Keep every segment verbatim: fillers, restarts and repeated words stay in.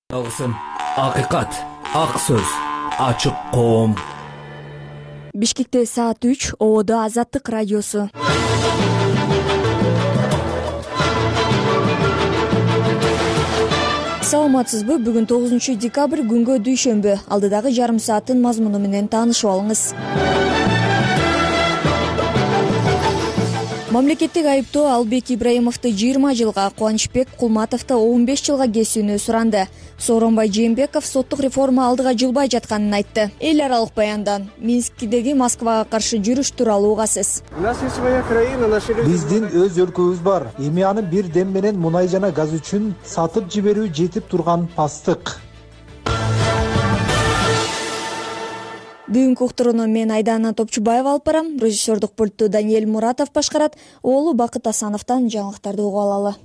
Алгысым акыйкат, ак сөз, ачык коом. Бишкекте саат үч, Ободо Азаттык радиосу. Саламатсызбы? Бүгүн тогузунчу декабрь, күнгө дүйшөмбү. Алдыдагы жарым сааттын мазмуну менен таанышып алыңыз. Мамлекеттик айыптоо Албек Ибраимовду жыйырма жылга, Кубанычбек Кулматовду он беш жылга кесүүнү суранды. Сооронбай Жээнбеков соттук реформа алдыга жылбай жатканын айтты. Эл аралык баяндан Минскидеги Москвага каршы жүрүш тууралуу угасыз. Биздин өз өлкөбүз бар. Эми аны бир дем менен мунай жана газ үчүн сатып жиберүү жетип турган пастык. Бүгүнкү уктурууну мен Айдана Топчубаева алып барам. Режиссердук пультту Даниэль Муратов башкарат. Оолу Бакыт Асановдон жаңылыктарды угуп алалы.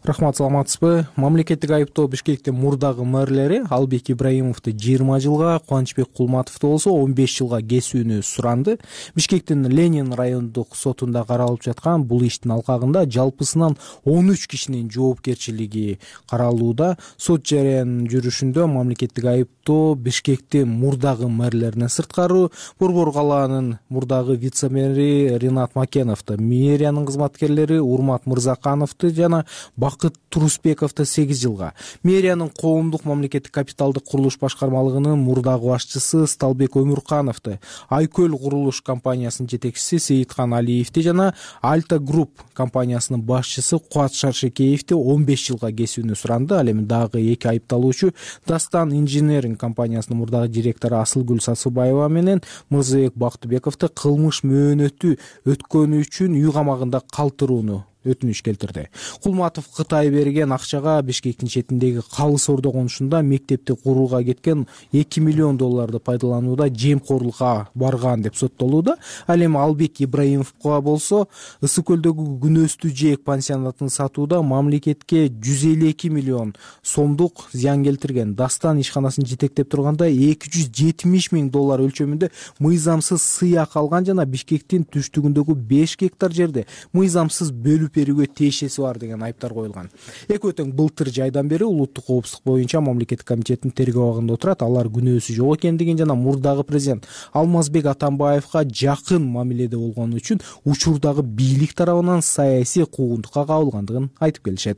Рахмат, саламатсызбы? Мамлекеттик айыптоо Бишкектин мурдагы мэрлери Албек Ибраимовду жыйырма жылга, Кубанычбек Кулматовду болсо он беш жылга кесүүнү суранды. Бишкектин Ленин райондук сотунда каралып жаткан бул иштин алкагында жалпысынан он үч кишинин жоопкерчилиги каралууда. Сот жарыянын жүрүшүндө мамлекеттик айыптоо Бишкектин мурдагы мэрлеринен сырткары Борбор калаанын мурдагы вице-мэри Ринат Макеновду, мэриянын кызматкерлери Урмат Мырзакановду жана Бакыт Турусбековду сегиз жылга, мэриянын коомдук мамлекеттик капиталдык курулуш башкармалыгынын мурдагы башчысы Сталбек Өмүркановду, Айкөл курулуш компаниясынын жетекчиси Сейиткан Алиевди жана Альта Групп компаниясынын башчысы Кубат Шаршекеевди он беш жылга кесүүнү суранды. Ал эми дагы эки айыпталуучу Дастан инженеринг компаниясынын мурдагы директору Асылгүл Сасыбаева менен Мырзабек Бактыбековду кылмыш мөөнөтү өткөнү үчүн үй камагында калтырууну өтүнүч келтирди. Кулматов Кытай берген акчага Бишкектин четиндеги Калыс Ордо конушунда мектепти курууга кеткен эки миллион долларды пайдаланууда жемкорлукка барган деп соттолууда. Ал эми Албек Ибраимовго болсо Ысык көлдөгү Күнөстүү жээк пансионатын сатууда мамлекетке жүз элүү эки миллион сомдук зыян келтирген. Дастан ишканасын жетектеп турганда эки жүз жетимиш миң доллар өлчөмүндө мыйзамсыз сыяк алган жана Бишкектин түштүгүндөгү беш гектар жерде мыйзамсыз бөлүп берүүгө тиешеси бар деген айыптар коюлган. Эки өтөң былтыр жайдан бери улуттук коопсуздук боюнча мамлекеттик комитеттин тергөө абагында отурат. Алар күнөөсү жок экендигин жана мурдагы президент Алмазбек Атамбаевга жакын мамиледе болгону үчүн учурдагы бийлик тарабынан саясий куугунтукка кабылгандыгын айтып келишет.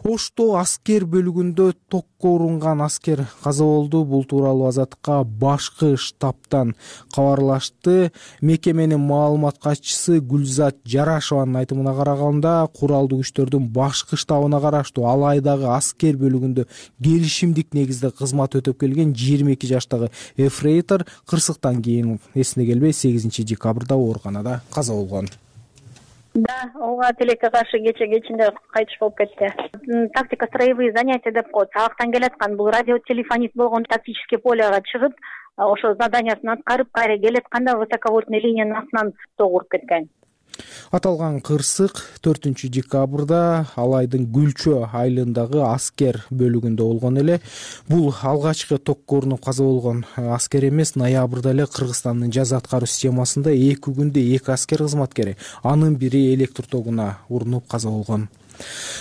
Ошто аскер бөлүгүндө токко урунган аскер каза болду. Бул тууралуу Азаттыкка башкы штабтан кабарлашты. Мекеменин маалымат катчысы Гүлзат Жарашованын айтымына караганда, куралдуу күчтөрдүн башкы штабына караштуу Алайдагы аскер бөлүгүндө келишимдик негизде кызмат өтөп келген жыйырма эки жаштагы эфрейтор кырсыктан кийин эсине келбей сегизинчи декабрда ооруканада каза болгон. Да, ооба тилекке каршы кече кечинде кайтыш болуп кетти. Тактика строевые занятия деп коет. Сабактан келаткан бул радиотелефонист болгон тактический полега чыгып, ошо заданиясын аткарып, кайра келатканда высоковольтный линиянын астынан ток уруп кеткен. Аталган кырсык төртүнчү декабрда Алайдын Гүлчө айылындагы аскер бөлүгүндө болгон эле. Бул алгачкы токко урунуп каза болгон аскер эмес. Ноябрда эле Кыргызстандын жаза аткаруу системасында эки күндө эки аскер кызматкери, анын бири электр тогуна урунуп каза болгон.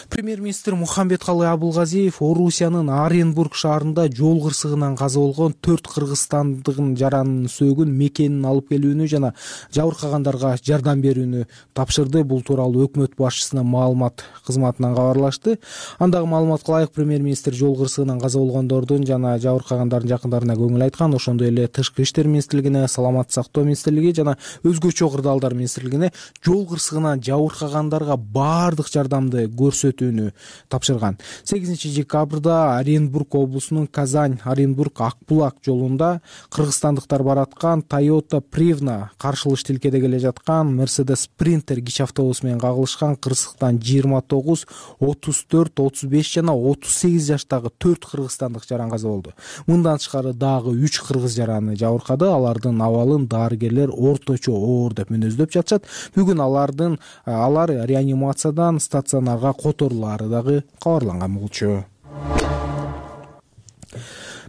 Премьер-министр Мухамбеткалы Абылгазиев Орусиянын Оренбург шаарында жол кырсыгынан каза болгон төрт кыргызстандыгын жаранын сөөгүн мекенин алып келүүнү жана жабыркагандарга жардам берүүнү тапшырды. Бул тууралуу өкмөт башчысынын маалымат кызматынан кабарлашты. Андагы маалыматка ылайык, премьер-министр жол кырсыгынан каза болгондордун жана жабыркагандардын жакындарына көңүл айткан. Ошондой эле Тышкы иштер министрлигине, Саламаттык сактоо министрлиги жана өзгөчө кырдаалдар министрлигине жол кырсыгынан жабыркагандарга баардык жардамды көрсөтүүнү тапшырган. сегизинчи декабрда Оренбург облусунун Казань-Оренбург Акбулак жолунда кыргызстандыктар бараткан Toyota Privna каршылыш тилкеде келе жаткан Mercedes Sprinter кичи автобус менен кагылышкан. Кырсыктан жыйырма тогуз, отуз төрт, отуз беш жана отуз сегиз жаштагы төрт кыргызстандык жаран каза болду. Мындан тышкары дагы үч кыргыз жараны жабыркады. Алардын абалын дарыгерлер орточо оор деп мүнөздөп жатышат. Бүгүн алардын алар реанимациядан стационарга которулаары дагы кабарланган болчу.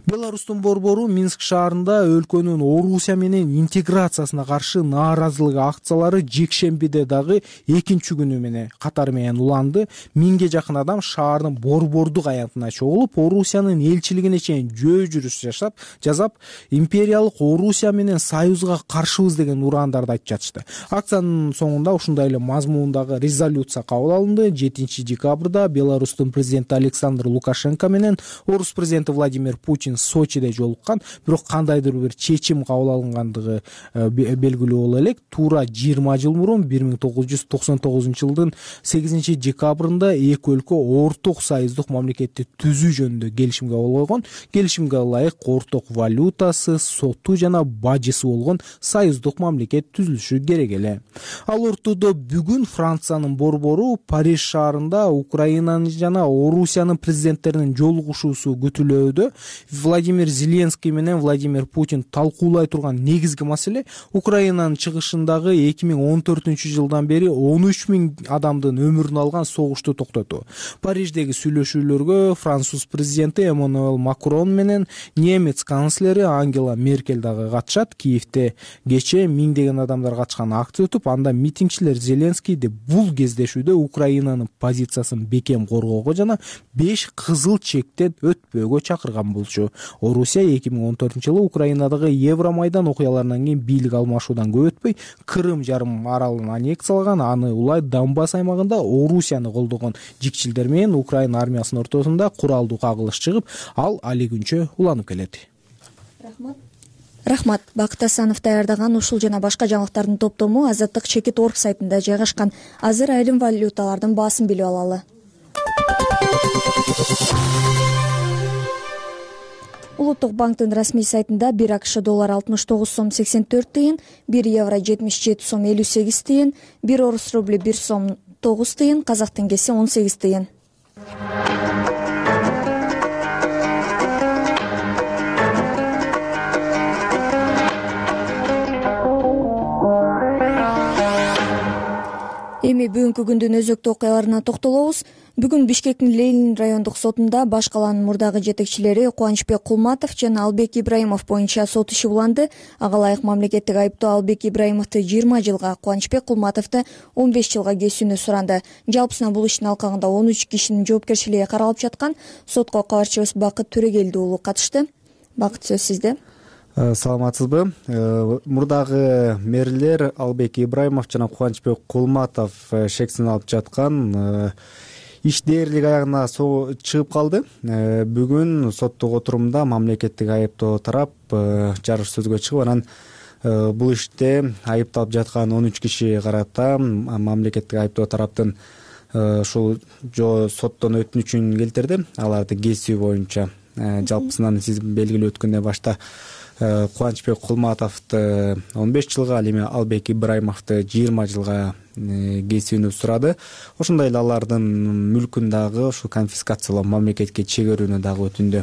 Беларустун борбору Минск шаарында өлкөнүн Орусия менен интеграциясына каршы нааразылык акциялары жекшембиде дагы экинчи күнү менен катары менен уланды. Миңге жакын адам шаардын борбордук аянтына чогулуп, Орусиянын элчилигине чейин жөө жүрүш жашап, жазап, империялык Орусия менен союзга каршыбыз деген урандарды айтып жатышты. Акциянын соңунда ушундай эле мазмундагы резолюция кабыл алынды. жетинчи декабрда Беларустун президенти Александр Лукашенко менен Орус президенти Владимир Путин Сочиде жолуккан, бирок кандайдыр бир чечим кабыл алынгандыгы белгилүү боло элек. Туура жыйырма жыл мурун бир миң тогуз жүз токсон тогузунчу жылдын сегизинчи декабрында эки өлкө орток союздук мамлекетти түзүү жөнүндө келишимге кол койгон. Келишимге ылайык орток валютасы, соту жана бажысы болгон союздук мамлекет түзүлүшү керек эле. Ал ортодо бүгүн Франциянын борбору Париж шаарында Украинанын жана Орусиянын президенттеринин жолугушуусу күтүлүүдө. Владимир Зеленский менен Владимир Путин талкуулай турган негизги маселе Украинанын чыгышындагы эки миң он төртүнчү жылдан бери он үч миң адамдын өмүрүн алган согушту токтотуу. Париждеги сүйлөшүүлөргө француз президенти Эммануэль Макрон менен немец канцлери Ангела Меркель дагы катышат. Киевде кечээ миңдеген адамдар катышкан акция өтүп, анда митингчилер Зеленскийди бул кездешүүдө Украинанын позициясын бекем коргоого жана беш кызыл чектен өтпөөгө чакырган болчу. Орусия эки миң он төртүнчү жылы Украинадагы Евромайдан окуяларынан кийин бийлик алмашуудан көп өтпөй Крым жарым аралын аннексиялаган, аны улай Донбасс аймагында Орусияны колдогон жикчилдер менен Украина армиясынын ортосунда куралдуу кагылыш чыгып, ал али күнчө уланып келет. Рахмат. Рахмат. Бакыт Асанов даярдаган ушул жана башка жаңылыктардын топтому Азаттык чекит орг сайтында жайгашкан. Азыр айрым валюталардын баасын билип алалы. Улуттук банктын расмий сайтында бир АКШ доллар алтымыш тогуз сом сексен төрт тыйын, бир евро жетимиш жети сом элүү сегиз тыйын, бир орус рубли бир сом тогуз тыйын, казак теңгеси он сегиз тыйын. Эми бүгүнкү күндүн өзөктүү окуяларына токтолобуз. Бүгүн Бишкектин Ленин райондук сотунда баш калаанын мурдагы жетекчилери Кубанычбек Кулматов жана Албек Ибраимов боюнча сот иши уланды. Ага ылайык мамлекеттик айыптоо Албек Ибраимовду жыйырма жылга, Кубанычбек Кулматовду он беш жылга кесүүнү суранды. Жалпысынан бул иштин алкагында он үч кишинин жоопкерчилиги каралып жаткан. Сотко кабарчыбыз Бакыт Төрөгелди уулу катышты. Бакыт, сөз сизде. Саламатсызбы? Мурдагы мэрлер Албек Ибраимов жана Кубанычбек Кулматов шексин алып жаткан иш дээрлик аягына чыгып калды. Бүгүн соттук отурумда мамлекеттик айыптоо тарап жарыш сөзгө чыгып, анан бул иште айыпталып жаткан он үч киши карата мамлекеттик айыптоо тараптын ушул жо соттон өтүнүчүн келтирди. Аларды кесүү боюнча жалпысынан сиз белгилүү өткөндөн башта Кубанычбек Кулматовду он беш жылга, ал эми Албек Ибраимовду жыйырма жылга кесүүнү сурады. Ошондой эле алардын мүлкүн дагы ушу конфискациялоо, мамлекетке чегерүүнү дагы өтүндү.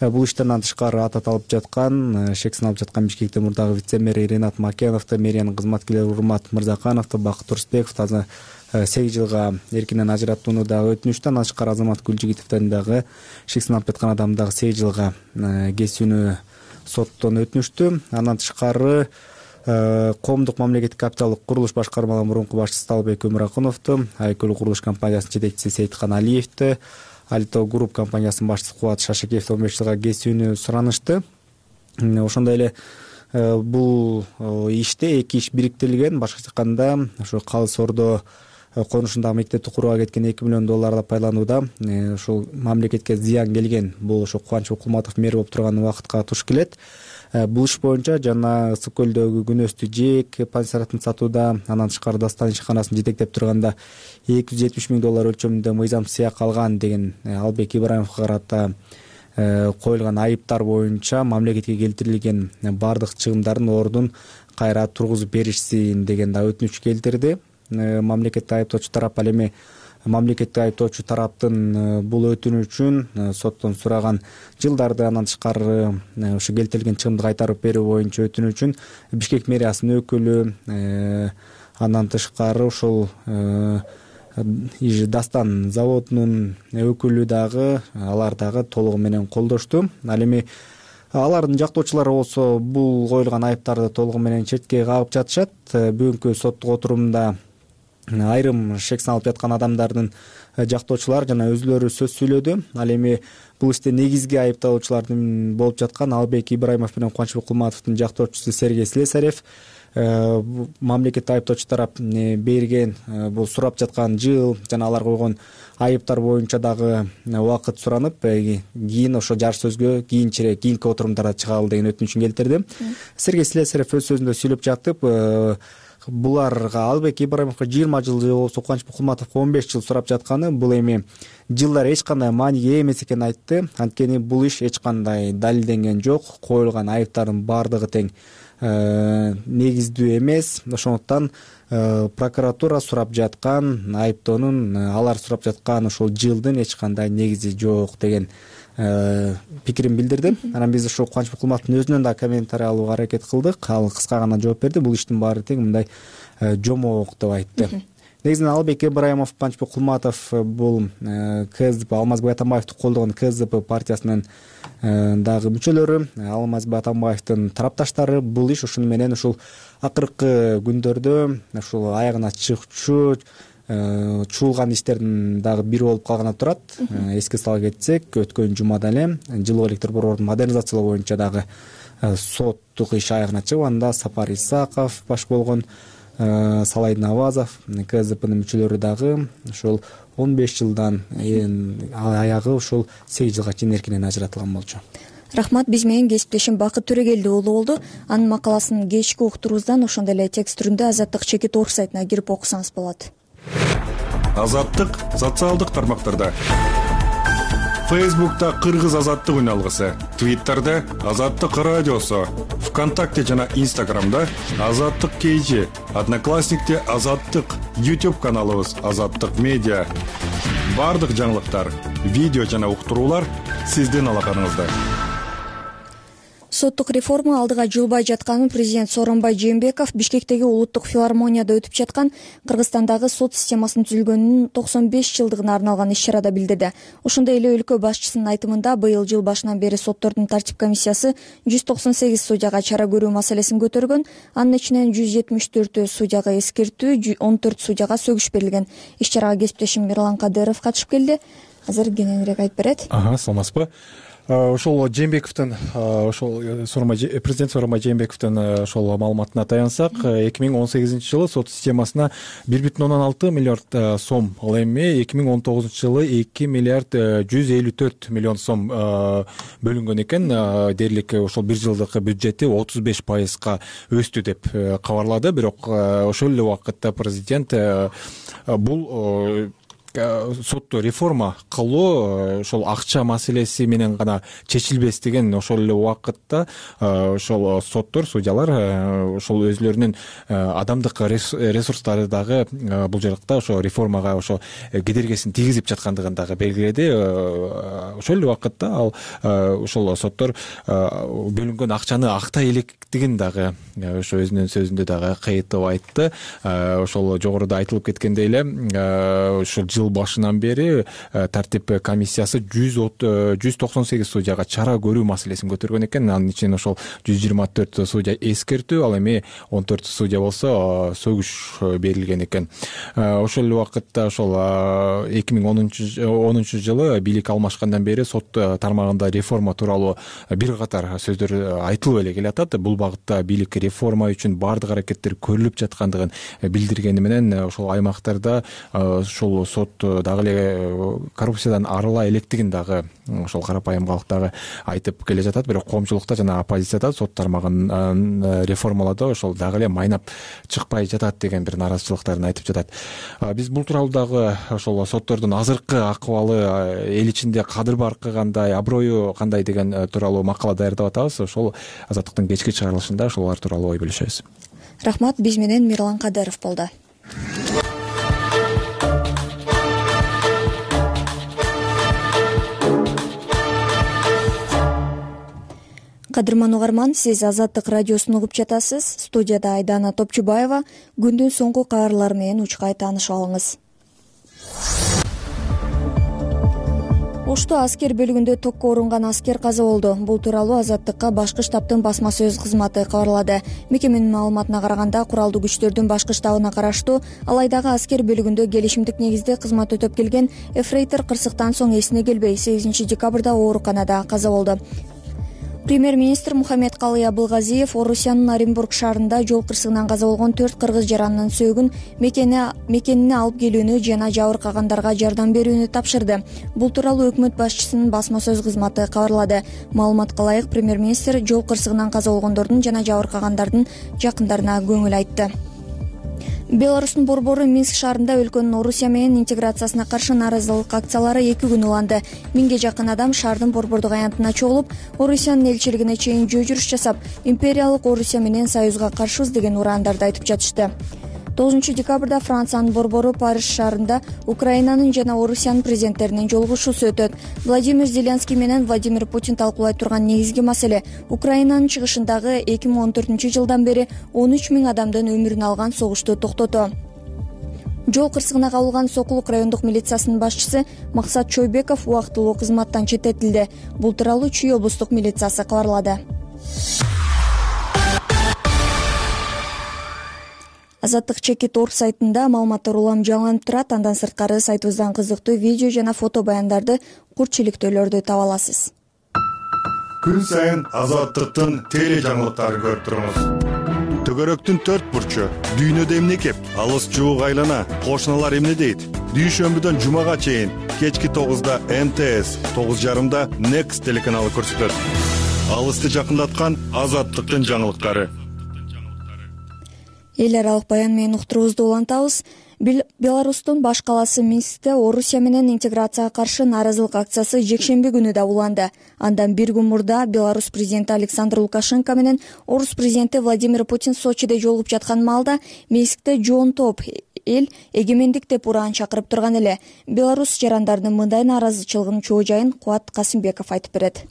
Бул иштен тышкары атат алып жаткан, шексин алып жаткан Бишкектин мурдагы вице-мэри Ренат Макеновду, мэриянын кызматкерлери Урмат Мырзакановду, Бакыт Турсбековду азыр сегиз жылга эркинен ажыраттууну дагы өтүнүштү. Андан тышкары Азамат Гүлжигитовдон дагы шексин алып жаткан адам дагы сегиз жылга кесүүнү соттон өтүнүштү. Андан тышкары коомдук мамлекеттик капиталдык курулуш башкармаларынын мурунку башчысы Талбек Өмүракуновду, Айкөл курулуш компаниясынын жетекчиси Сейиткан Алиевди, Алито Групп компаниясынын башчысы Кубат Шашекеевди он беш жылга кесүүнү суранышты. Ошондой эле бул иште эки иш бириктирилген. Башкача айтканда, ошо Калыс Ордо конушундагы мектепти курууга кеткен эки миллион долларды пайдаланууда ушул мамлекетке зыян келген. Бул ошо Кубанычбек Кулматов мэр болуп турган убакытка туш келет. Бул иш боюнча жана Ысык көлдөгү күнөстүү жээк пансионатын сатууда, андан тышкары Дастан ишканасын жетектеп турганда эки жүз жетимиш миң доллар өлчөмүндө мыйзам сыяк алган деген Албек Ибраимовго карата коюлган айыптар боюнча мамлекетке келтирилген бардык чыгымдардын ордун кайра тургузуп беришсин деген да өтүнүч келтирди. Мамлекеттик айыптоочу тарап, ал эми мамлекеттик айыптоочу тараптын бул өтүнүчүн соттон сураган жылдарды, андан тышкары ушу келтирилген чыгымды кайтарып берүү боюнча өтүнүчүн Бишкек мэриясынын өкүлү, андан тышкары ушул Дастан заводунун өкүлү дагы алар дагы толугу менен колдошту. Ал эми алардын жактоочулары болсо бул коюлган айыптарды толугу менен четке кагып жатышат. Бүгүнкү соттук отурумда айрым шек салып жаткан адамдардын жактоочулары жана өзүлөрү сөз сүйлөдү. Ал эми бул иште негизги айыпталуучулардын болуп жаткан Албек Ибраимов менен Кубанычбек Кулматовдун жактоочусу Сергей Слесарев мамлекеттик айыптоочу тарап берген бул сурап жаткан жыл жана алар койгон айыптар боюнча дагы убакыт суранып, кийин ошо жар сөзгө кийинчерээк кийинки отурумдарда чыгалы деген өтүнүчүн келтирди. Сергей Слесарев өз сөзүндө сүйлөп жатып, буларга Албек Ибраимовго жыйырма жыл же болбосо Кубанычбек Кулматовго он беш жыл сурап жатканы бул эми жылдар эч кандай мааниге ээ эмес экенин айтты. Анткени бул иш эч кандай далилденген жок, коюлган айыптардын баардыгы тең негиздүү эмес. Ошондуктан прокуратура сурап жаткан айыптоонун, алар сурап жаткан ошол жылдын эч кандай негизи жок деген пикирин билдирди. Анан биз ошо Кубанычбек Кулматовдун өзүнөн да комментарий алууга аракет кылдык. Ал кыска гана жооп берди. Бул иштин баары тең мындай жомок деп айтты. Негизинен Албек Ибраимов, Кубанычбек Кулматов бул КСДП, Алмазбек Атамбаевди колдогон КСДП партиясынын дагы мүчөлөрү, Алмазбек Атамбаевдин тарапташтары. Бул иш ушуну менен ушул акыркы күндөрдө ушул аягына чыкчу чуулган иштердин дагы бири болуп калганы турат. Эске сала кетсек, өткөн жумада эле жылуу электр борборун модернизациялоо боюнча дагы соттук иш аягына чыгып, анда Сапар Исаков баш болгон, Салай Навазов, КСДПнын мүчөлөрү дагы ошол он беш жылдан аягы ушул сегиз жылга чейин эркинен ажыратылган болчу. Рахмат, биз менен кесиптешим Бакыт Төрөгелди уулу болду. Анын макаласын кечки уктурубуздан ошондой эле текст түрүндө Азаттык чекит орг сайтына кирип окусаңыз болот. Азаттык социалдык тармактарда. Фейсбукта Кыргыз азаттык үналгысы, Твиттерде Азаттык радиосу, ВКонтакте жана Инстаграмда Азаттык кейжи, Одноклассникте Азаттык, YouTube каналыбыз Азаттык медиа. Бардык жаңылыктар, видео жана уктуруулар сиздин алаканыңызда. Соттук реформа алдыга жылбай жатканын президент Сооронбай Жээнбеков Бишкектеги улуттук филармонияда өтүп жаткан Кыргызстандагы сот системасынын түзүлгөнүнүн токсон беш жылдыгына арналган иш-чарада билдирди. Ошондой эле өлкө башчысынын айтымында быйыл жыл башынан бери соттордун тартип комиссиясы жүз токсон сегиз судьяга чара көрүү маселесин көтөргөн. Анын ичинен жүз жетимиш төртү судьяга эскертүү, он төрт судьяга сөгүш берилген. Иш-чарага кесиптешим Мирлан Кадыров катышып келди. Азыр кененирээк айтып берет. Ага, саламатсызбы? Ошол Жээнбековдун ошол президент Сооронбай Жээнбековдун ошол маалыматына таянсак, эки миң он сегизинчи жылы сот системасына бир бүтүн ондон алты миллиард сом, ал эми эки миң он тогузунчу жылы эки миллиард жүз элүү төрт миллион сом бөлүнгөн экен. Дээрлик ошол бир жылдык бюджети отуз беш пайызга өстү деп кабарлады. Бирок ошол эле убакытта президент бул сотту реформа кылуу ошол акча маселеси менен гана чечилбес деген ошол эле убакытта ошол соттор, судьялар ошол өзлөрүнүн адамдык ресурстары дагы бул жакта ошо реформага ошо кедергисин тийгизип жаткандыгын дагы белгиледи. Ошол эле убакытта ал ошол соттор бөлүнгөн акчаны актай электигин дагы ошо өзүнүн сөзүндө дагы кайтып айтты. Ошол жогоруда айтылып кеткендей эле ошол жыл башынан бери тартип комиссиясы жүз токсон сегиз судьяга чара көрүү маселесин көтөргөн экен. Анын ичинен ошол жүз жыйырма төрт судья эскертүү, ал эми он төрт судья болсо сөгүш берилген экен. Ошол эле убакытта ошол эки миң онунчу жылы бийлик алмашкандан бери сот тармагында реформа тууралуу бир катар сөздөр айтылып эле келатат. Бул багытта бийлик реформа үчүн баардык аракеттер көрүлүп жаткандыгын билдиргени менен ошол аймактарда ошол сот дагы эле коррупциядан арыла электигин дагы ошол карапайым калк дагы айтып келе жатат. Бирок коомчулукта жана оппозицияда сот тармагын реформалоодо ошол дагы эле майнап чыкпай жатат деген бир нааразычылыктарын айтып жатат. Биз бул тууралуу дагы ошол соттордун азыркы акыбалы, эл ичинде кадыр-баркы кандай, аброю кандай деген тууралуу макала даярдап атабыз. Ошол Азаттыктын кечки чыгарылышында ошолор тууралуу ой бөлүшөбүз. Рахмат, биз менен Мирлан Кадыров болду. Кадырман угарман, сиз Азаттык радиосун угуп жатасыз. Студияда Айдана Топчубаева. Күндүн соңку кабарлары менен учкай таанышып алыңыз. Ошто аскер бөлүгүндө токко орунган аскер каза болду. Бул тууралуу Азаттыкка башкы штабтын басма сөз кызматы кабарлады. Мекеменин маалыматына караганда, куралдуу күчтөрдүн башкы штабына караштуу Алайдагы аскер бөлүгүндө келишимдик негизде кызмат өтөп келген эфрейтор кырсыктан соң эсине келбей сегизинчи декабрда ооруканада каза болду. Премьер-министр Мухаммедкалый Абылгазиев Орусиянын Оренбург шаарында жол кырсыгынан каза болгон төрт кыргыз жаранынын сөөгүн мекенине алып келүүнү жана жабыркагандарга жардам берүүнү тапшырды. Бул тууралуу өкмөт башчысынын басма сөз кызматы кабарлады. Маалыматка ылайык, премьер-министр жол кырсыгынан каза болгондордун жана жабыркагандардын жакындарына көңүл айтты. Беларустун борбору Минск шаарында өлкөнүн Орусия менен интеграциясына каршы нааразылык акциялары эки күн уланды. Миңге жакын адам шаардын борбордук аянтына чогулуп, Орусиянын элчилигине чейин жөө жүрүш жасап, империялык Орусия менен союзга каршыбыз деген ураандарды айтып жатышты. тогузунчу декабрда Франциянын борбору Париж шаарында Украинанын жана Орусиянын президенттеринин жолугушуусу өтөт. Владимир Зеленский менен Владимир Путин талкуулай турган негизги маселе Украинанын чыгышындагы эки миң он төртүнчү жылдан бери он үч миң адамдын өмүрүн алган согушту токтотуу. Жол кырсыгына кабылган Сокулук райондук милициясынын башчысы Максат Чойбеков убактылуу кызматтан четтетилди. Бул тууралуу Чүй облустук милициясы кабарлады. Азаттык чекит орг сайтында маалыматтар улам жаңыланып турат. Андан сырткары сайтыбыздан кызыктуу видео жана фото баяндарды, курч иликтөөлөрдү таба аласыз. Күн сайын Азаттыктын теле жаңылыктарын көрүп турабыз. Төгөрөктүн төрт бурчу, дүйнөдө эмне кеп, алыс жуук айлана, кошуналар эмне дейт? Дүйшөмбүдөн жумага чейин кечки тогузда эм тэ эс, тогуз жарымда Next телеканалы көрсөтөт. Алысты жакындаткан Азаттыктын жаңылыктары. Эл аралык баян менен уктуруубузду улантабыз. Беларустун баш калаасы Минскте Орусия менен интеграцияга каршы нааразылык акциясы жекшемби күнү да уланды. Андан бир күн мурда Беларусь президенти Александр Лукашенко менен Орус президенти Владимир Путин Сочиде жолугуп жаткан маалда Минскте жоон топ эл эгемендик деп ураан чакырып турган эле. Беларусь жарандарынын мындай нааразычылыгынын чоо жайын Кубат Касымбеков айтып берет.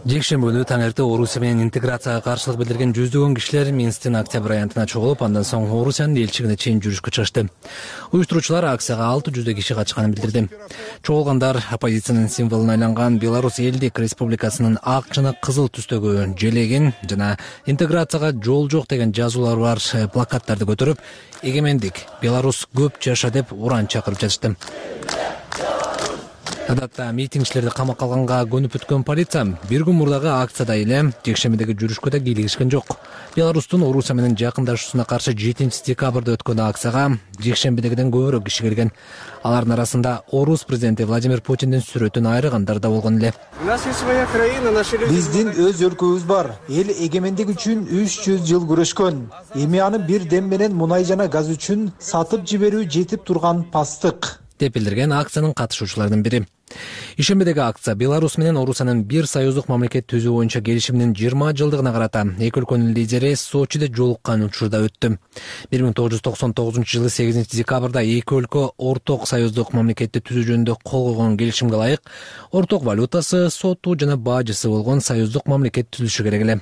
Жекшемби күнү таң эрте Орусия менен интеграцияга каршылык билдирген жүздөгөн кишилер Минсктин Октябрь аянтына чогулуп, андан соң Орусиянын элчилигине чейин жүрүшкө чыгышты. Уюштуруучулар акцияга алты жүздөй киши катышканын билдирди. Чогулгандар оппозициянын символуна айланган Беларусь элдик республикасынын ак жана кызыл түстөгү желегин жана интеграцияга жол жок деген жазуулары бар плакаттарды көтөрүп, эгемендик Беларусь көп жаша деп ураан чакырып жатышты. Адатта митингчилерди камакка алганга көнүп бүткөн полиция бир күн мурдагы акцияда эле жекшембидеги жүрүшкө да кийлигишкен жок. Беларустун Орусия менен жакындашуусуна каршы жетинчи декабрда өткөн акцияга жекшембидегиден көбүрөөк киши келген. Алардын арасында Орус президенти Владимир Путиндин сүрөтүн айрыгандар да болгон эле. Биздин өз өлкөбүз бар. Эл эгемендик үчүн үч жүз жыл күрөшкөн. Эми аны бир дем менен мунай жана газ үчүн сатып жиберүү жетип турган пастык деп билдирген акциянын катышуучуларынын бири. Ишембидеги акция Беларусь менен Орусиянын бир союздук мамлекет түзүү боюнча келишиминин жыйырма жылдыгына карата эки өлкөнүн лидери Сочиде жолуккан учурда өттү. бир миң тогуз жүз токсон тогузунчу жылы сегизинчи декабрда эки өлкө орток союздук мамлекетти түзүү жөнүндө кол койгон келишимге ылайык орток валютасы, соту жана бажысы болгон союздук мамлекет түзүлүшү керек эле.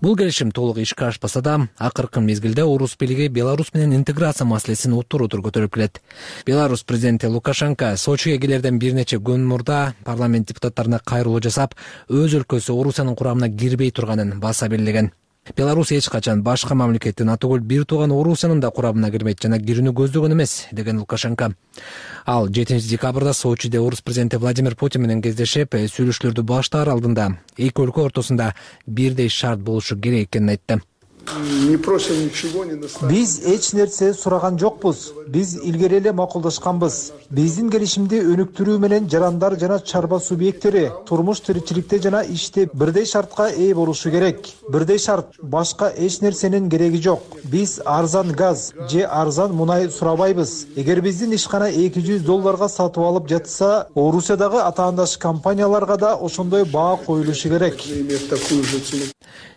Бул келишим толук ишке ашпаса да, акыркы мезгилде Орус бийлиги Беларусь менен интеграция маселесин отур-отур көтөрүп келет. Беларусь президенти Лукашенко Сочиге келерден бир нече күн мурда парламент депутаттарына кайрылуу жасап, өз өлкөсү Орусиянын курамына кирбей турганын баса белгилеген. Беларусь эч качан башка мамлекеттин атөгүл бир тууган Орусиянын да курамына кирбейт жана кирүүнү көздөгөн эмес, деген Лукашенко. Ал жетинчи декабрда Сочиде Орус президенти Владимир Путин менен кездешип, сүйлөшүүлөрдү баштаар алдында эки өлкө ортосунда бирдей шарт болушу керек экенин айтты. Биз эч нерсе сураган жокпуз. Биз илгери эле макулдашканбыз. Биздин келишимди өнүктүрүү менен жарандар жана чарба субъекттери турмуш тиричиликте жана иште бирдей шартка ээ болушу керек. Бирдей шарт, башка эч нерсенин кереги жок. Биз арзан газ же арзан мунай сурабайбыз. Эгер биздин ишкана эки жүз долларга сатып алып жатса, Орусиядагы атаандаш компанияларга да ошондой баа коюлушу керек,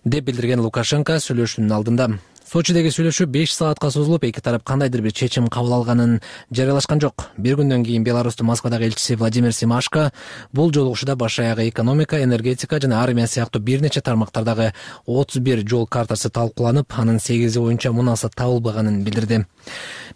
деп билдирген Лукашенко сүйлөшүүнүн алдында. Сочидеги сүйлөшүү беш саатка созулуп, эки тарап кандайдыр бир чечим кабыл алганын жарыялашкан жок. Бир күндөн кийин Беларустун Москвадагы элчиси Владимир Семашко бул жолугушууда баш аягы экономика, энергетика жана армия сыяктуу бир нече тармактардагы отуз бир жол картасы талкууланып, анын сегизи боюнча мунаса табылбаганын билдирди.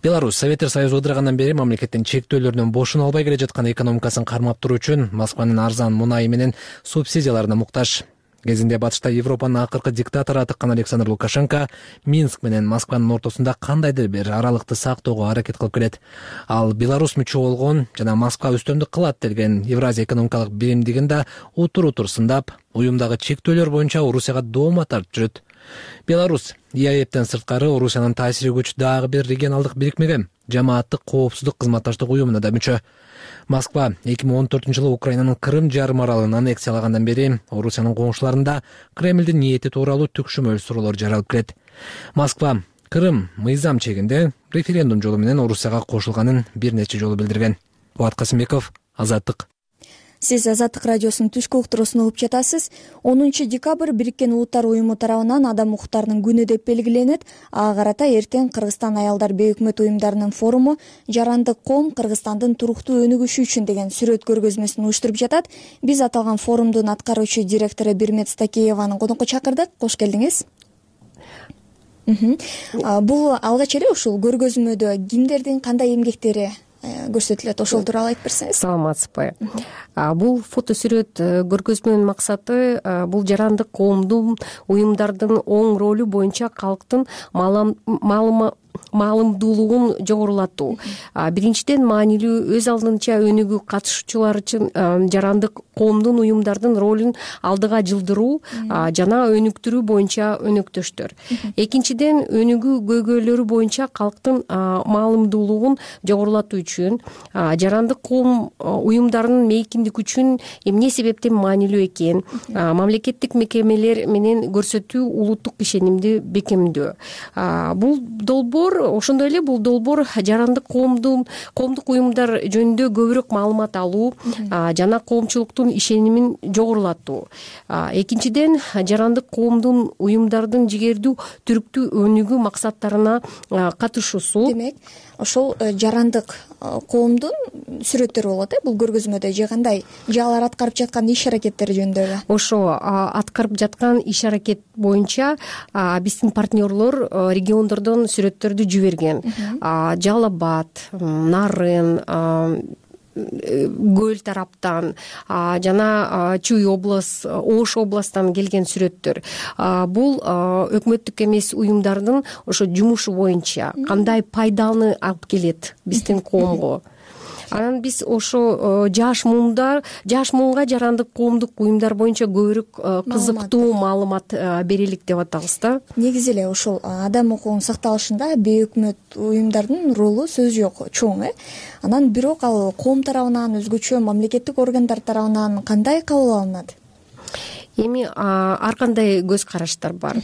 Беларусь Советтер Союзу ыдырагандан бери мамлекеттин чектөөлөрүнөн бошоно албай келе жаткан экономикасын кармап туруу үчүн Москванын арзан мунайы менен субсидияларына муктаж. Кезинде батышта Европанын акыркы диктатору атыккан Александр Лукашенко Минск менен Москванын ортосунда кандайдыр бир аралыкты сактоого аракет кылып келет. Ал Беларусь мүчө болгон жана Москва үстөмдүк кылат деген Евразия экономикалык биримдигин да утур-утур сындап, уюмдагы чектөөлөр боюнча Орусияга доoma тартып жүрөт. Беларусь ЕАЭптен сырткары Орусиянын таасири күч дагы бир регионалдык бирикмеге, жамааттык коопсуздук кызматташтык уюмуна да мүчө. Москва эки миң он төртүнчү жылы Украинанын Крым жарым аралын аннексиялагандан бери Орусиянын коңшуларында Кремлдин ниети тууралуу түкшүмөл суроолор жаралып келет. Москва Крым мыйзам чегинде референдум жолу менен Орусияга кошулганын бир нече жолу билдирген. Кубат Касымбеков, Азаттык. Сиз Азаттык радиосунун түшкү уктуруусун угуп жатасыз. онунчу декабрь Бириккен Улуттар уюму тарабынан адам укуктарынын күнү деп белгиленет. Ага карата эртең Кыргызстан аялдар бейөкмөт уюмдарынын форуму «Жарандык коом Кыргызстандын туруктуу өнүгүшү үчүн» деген сүрөт көргөзмөсүн уюштуруп жатат. Биз аталган форумдун аткаруучу директору Бирмет Стакееваны конокко чакырдык. Кош келдиңиз. Бул алгач эле ушул көргөзмөдө кимдердин кандай эмгектери көрсөтүлөт, ошол тууралуу айтып берсеңиз. Саламатсызбы. Бул фотосүрөт көргөзмөнүн максаты бул жарандык коомдун уюмдардын оң ролу боюнча калктын маалымдуулугун жогорулатуу. Биринчиден, маанилүү өз алдынча өнүгүү катышуучулар үчүн жарандык коомдун уюмдардын ролун алдыга жылдыруу жана өнүктүрүү боюнча өнөктөштөр. Экинчиден, өнүгүү көйгөйлөрү боюнча калктын маалымдуулугун жогорулатуу үчүн жарандык коом уюмдарынын мейкиндик үчүн эмне себептен маанилүү экенин мамлекеттик мекемелер менен көрсөтүү, улуттук ишенимди бекемдөө. Бул долбоор ошондой эле бул долбоор жарандык коомдун коомдук уюмдар жөнүндө көбүрөөк маалымат алуу жана коомчулуктун ишенимин жогорулатуу. Экинчиден, жарандык коомдун уюмдардын жигердүү түрктүү өнүгүү максаттарына катышуусу. Демек, ошол жарандык коомдун сүрөттөрү болот э бул көргөзмөдө, же кандай, же алар аткарып жаткан иш аракеттери жөнүндө? Ошо аткарып жаткан иш аракет боюнча биздин партнерлор региондордон сүрөттөрдү жиберген. Жалал Абад, Нарын, Көл тараптан жана Чүй область, Ош областтан келген сүрөттөр. Бул өкмөттүк эмес уюмдардын ошо жумушу боюнча кандай пайданы алып келет биздин коомго. Анан биз ошо жаш муундар, жаш муунга жарандык коомдук уюмдар боюнча көбүрөөк кызыктуу маалымат берелик деп атабыз да. Негизи эле ошол адам укугунун сакталышында бейөкмөт уюмдардын ролу сөз жок, чоң э. Анан бирок ал коом тарабынан, өзгөчө мамлекеттик органдар тарабынан кандай кабыл алынат? Эми ар кандай көз караштар бар.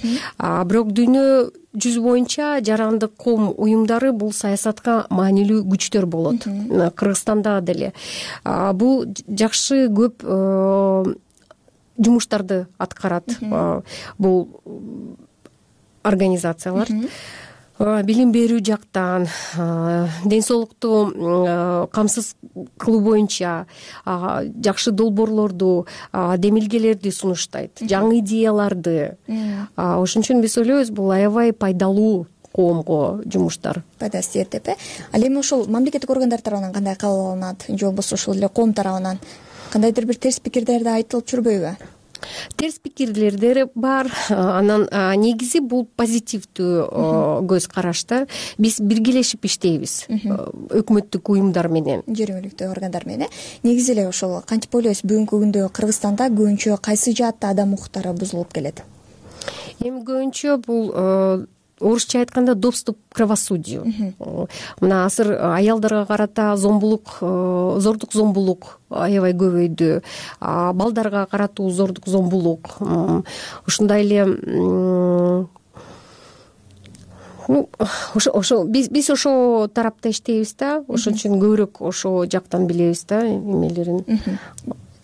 Бирок дүйнө жүзү боюнча жарандык коом уюмдары бул саясатка маанилүү күчтөр болот. Кыргызстанда деле бул жакшы көп жумуштарды аткарат бул организациялар. Билим берүү жактан, ден соолукту камсыз кылуу боюнча жакшы долбоорлорду, демилгелерди сунуштайт, жаңы идеяларды. Ошон үчүн биз ойлойбуз, бул аябай пайдалуу коомго жумуштар. Пайдасы тиет деп э. Ал эми ошол мамлекеттик органдар тарабынан кандай кабыл алынат, же болбосо ошол эле коом тарабынан кандайдыр бир терс пикирлерди айтылып жүрбөйбү? Терс пикирлер бар. Анан негизи бул позитивдүү көз карашта. Биз биргелешип иштейбиз өкмөттүк уюмдар менен, жергиликтүү органдар менен. Негизи эле ошол кантип ойлойсуз, бүгүнкү күндө Кыргызстанда көбүнчө кайсы жаатта адам укуктары бузулуп келет? Эми көбүнчө бул орусча айтканда доступ к правосудию. Мына азыр аялдарга карата зомбулук, зордук зомбулук аябай көбөйдү. Балдарга каратуу зордук зомбулук. Ушундай эле ошо ошо биз биз ошо тарапта иштейбиз да. Ошон үчүн көбүрөөк ошо жактан билебиз да эмелерин.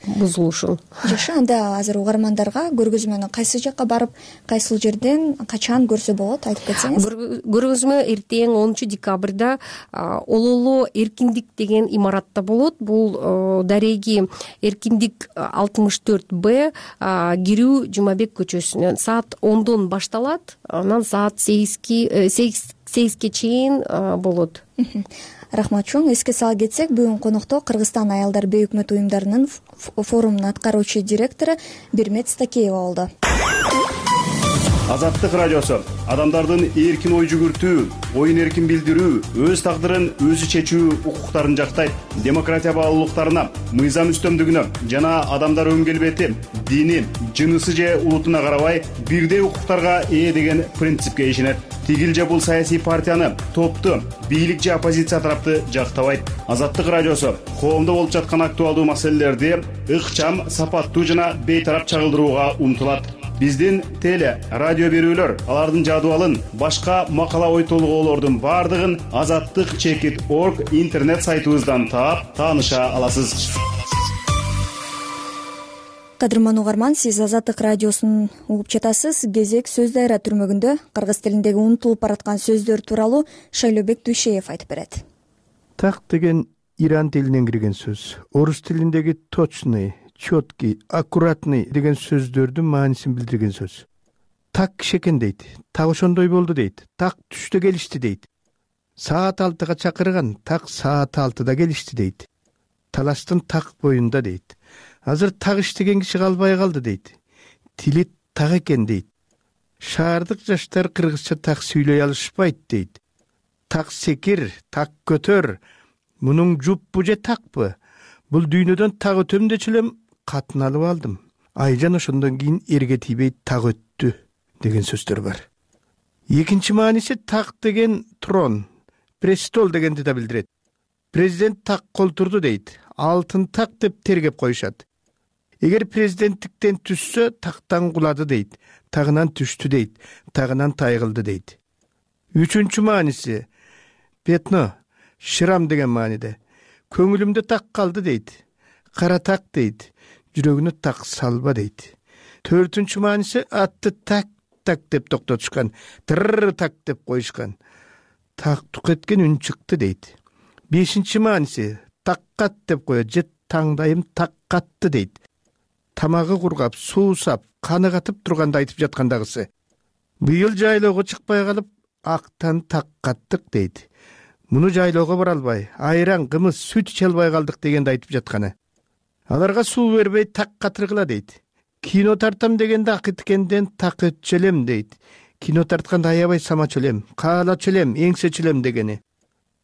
бузулушун. жакшы, анда азыр угармандарга көргөзмөнү кайсы жакка барып, кайсыл жерден качан көрсө болот, айтып кетсеңиз. Көргөзмө эртең онунчу декабрда Ололо Эркиндик деген имаратта болот. Бул дареги Эркиндик алтымыш төрт Б, кирүү Жумабек көчөсүнөн саат ондон башталат, анан саат сегизге чейин болот. Рахмат чоң. Эске сала кетсек, бүгүн конокто Кыргызстан аялдар бейөкмөт уюмдарынын форумунун аткаруучу директору Бермет Стакеева болду. Азаттык радиосу адамдардын эркин ой жүгүртүү, оюн эркин билдирүү, өз тагдырын өзү чечүү укуктарын жактайт. Демократия баалуулуктарына, мыйзам үстөмдүгүнө жана адамдар өн келбети, дини, жынысы же улутуна карабай бирдей укуктарга ээ деген принципке ишенет. Тигил же бул саясий партияны, топту, бийлик же оппозиция тарапты жактабайт. Азаттык радиосу коомдо болуп жаткан актуалдуу маселелерди ыкчам, сапаттуу жана бейтарап чагылдырууга умтулат. Биздин теле, радио берүүлөр, алардын жадыбалын, башка макала ой толгоолордун бардыгын азаттык чекит орг интернет сайтыбыздан таап, тааныша аласыз. Кадырман угарман, сиз Азаттык радиосун угуп жатасыз. Кезек сөз дайра түрмөгүндө кыргыз тилиндеги унутулуп бараткан сөздөр тууралуу Шайлообек Дүйшеев айтып берет. Так деген иран тилинен кирген сөз. Орус тилиндеги точный, четкий, аккуратный деген сөздөрдүн маанисин билдирген сөз. Так кишекен дейт, так ошондой болду дейт, так түштө келишти дейт. Саат алтыга чакырган, так саат алтыда келишти дейт. Талаштын так боюнда дейт. Азыр так иштеген киши калбай калды дейт. Тили так экен дейт. Шаардык жаштар кыргызча так сүйлөй алышпайт дейт. Так секир, так көтөр. Мунун жуппу же такпы? Бул дүйнөдөн так өтөм дечү элем катын алып алдым. Айжан ошондон кийин эрге тийбей так өттү деген сөздөр бар. Экинчи мааниси так деген трон, престол дегенди да билдирет. Президент так колтурду дейт. Алтын так деп тергеп коюшат. Эгер президенттиктен түшсө, тактан кулады дейт. Тагынан түштү дейт. Тагынан тайгылды дейт. Үчүнчү мааниси петно, шрам деген мааниде. Көңүлүмдө так калды дейт. Кара так дейт. Жүрөгүнө так салба дейт. Төртүнчү мааниси атты так так деп токтотушкан. Тырр так деп коюшкан. Так тук эткен үн чыкты дейт. Бешинчи мааниси таккат деп коет же таңдайым так катты дейт. Тамагы кургап, суусап, каны катып турганда айтып жаткандагысы. Быйыл жайлоого чыкпай калып, актан так каттык дейт. Муну жайлоого бара албай, айран, кымыз, сүт иче албай калдык дегенди айтып жатканы. Аларга суу бербей так катыргыла дейт. Кино тартам дегенде акыткенден так өтчөлөм дейт. Кино тартканда аябай самачөлөм, каалачөлөм, эңсечөлөм дегени.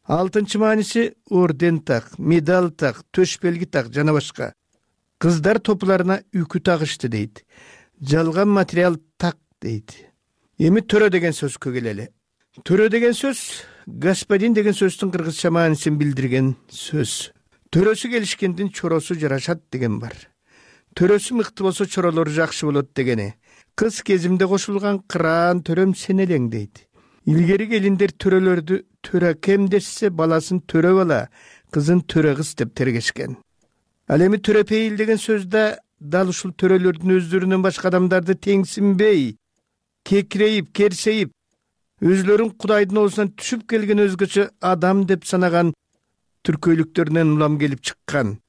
Алтынчы мааниси орден так, медаль так, төш белги так жана башка. Кыздар топуларына үкү тагышты дейт. Жалган материал так дейт. Эми төрө деген сөзгө келели. Төрө деген сөз господин деген сөздүн кыргызча маанисин билдирген сөз. Төрөсү келишкендин чоросу жарашат деген бар. Төрөсү мыкты болсо чоролору жакшы болот дегени. Кыз кезимде кошулган кыраан төрөм сен элең дейт. Илгери келиндер төрөлөрдү төрө кем десе баласын төрө бала, кызын төрө кыз деп тергешкен. Ал эми төрөпейил деген сөздө дал ушул төрөлөрдүн өздөрүнөн башка адамдарды теңсинбей, кекирейип, керсейип, өзлөрүн Кудайдын оозунан түшүп келген өзгөчө адам деп санаган түркөйлүктөрүнөн улам келип чыккан.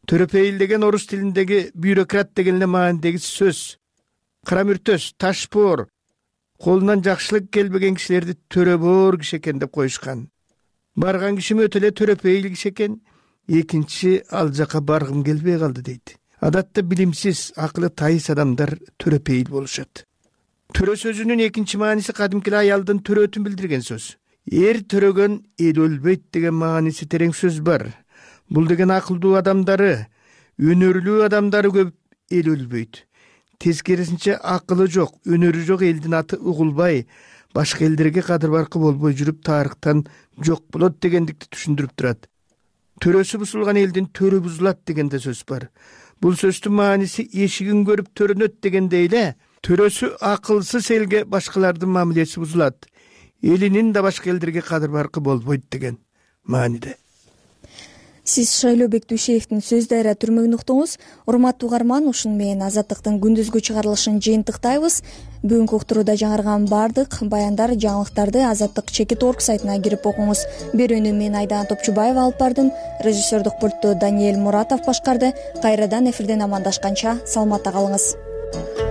Төрөпейил деген орус тилиндеги бюрократ деген эле маанидеги сөз. Кара мүртөс, ташпоор, колунан жакшылык келбеген кишилерди төрөбоор киши экен деп коюшкан. Барган кишим өтө эле төрөпейил киши экен, экинчи ал жака баргым келбей калды дейт. Адатта билимсиз, акылы тайыс адамдар төрөпейил болушат. Төрө сөзүнүн экинчи мааниси кадимки аялдын төрөтүн билдирген сөз. Эр төрөгөн эл өлбөйт деген мааниси терең сөз бар. Бул деген акылдуу адамдары, өнөрлүү адамдары көп эл өлбөйт. Тескерисинче акылы жок, өнөрү жок элдин аты угулбай, башка элдерге кадыр баркы болбой жүрүп тарыхтан жок болот дегендикти түшүндүрүп турат. Төрөсү бузулган элдин төрө бузулат деген да сөз бар. Бул сөздүн мааниси эшигин көрүп төрөнөт дегендей эле, төрөсү акылсыз элге башкалардын мамилеси бузулат. Элинин да башка элдерге кадыр баркы болбойт деген мааниде. сиз шайлоо бектүүшеевдин сөз дайра түрмөгүн уктуңуз. Урматтуу угарман, ушуну менен Азаттыктын күндүзгү чыгарылышын жыйынтыктайбыз. Бүгүнкү уктурууда жаңырган баардык баяндар, жаңылыктарды Азаттык чекит орг сайтына кирип окуңуз. Берүүнү мен Айдан Топчубаева алып бардым. Режиссердук пультту Даниэль Муратов башкарды. Кайрадан эфирден амандашканча саламатта калыңыз.